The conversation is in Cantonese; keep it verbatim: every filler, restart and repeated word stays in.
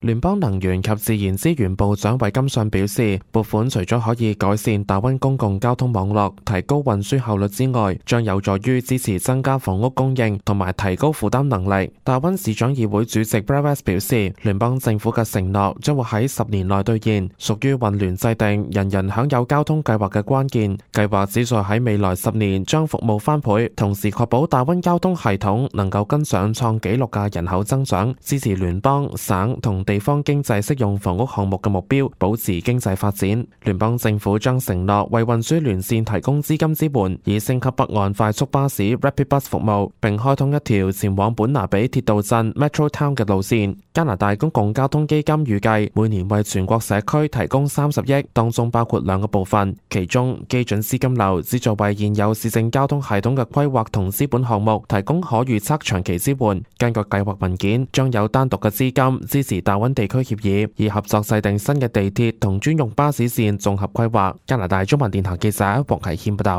聯邦能源及自然資源部長韋金遜表示，撥款除咗可以改善大溫公共交通網絡、提高運輸效率之外，將有助於支持增加房屋供應同埋提高負擔能力。大溫市長議會主席 Brad West 表示，聯邦政府嘅承諾將會喺十年內兌現，屬於混亂制定人人享有交通計劃嘅關鍵。計劃旨在喺未來十年將服務翻倍，同時確保大溫交通系統能夠跟上創紀錄嘅人口增長，支持聯邦、省同地方經濟適用房屋項目嘅目標，保持經濟發展。聯邦政府將承諾為運輸連線提供資金支援，以升級北岸快速巴士 Rapid Bus 服務，並開通一條前往本拿比鐵道鎮 Metro Town 嘅路線。加拿大公共交通基金預計每年為全國社區提供三十億，當中包括兩個部分，其中基準資金流旨在為現有市政交通系統嘅規劃同資本項目提供可預測長期支援。根據計劃文件，將有單獨嘅資金支持大溫地區協議，以合作制定新嘅地鐵同專用巴士線綜合規劃。加拿大中文電台記者黃啟謙報道。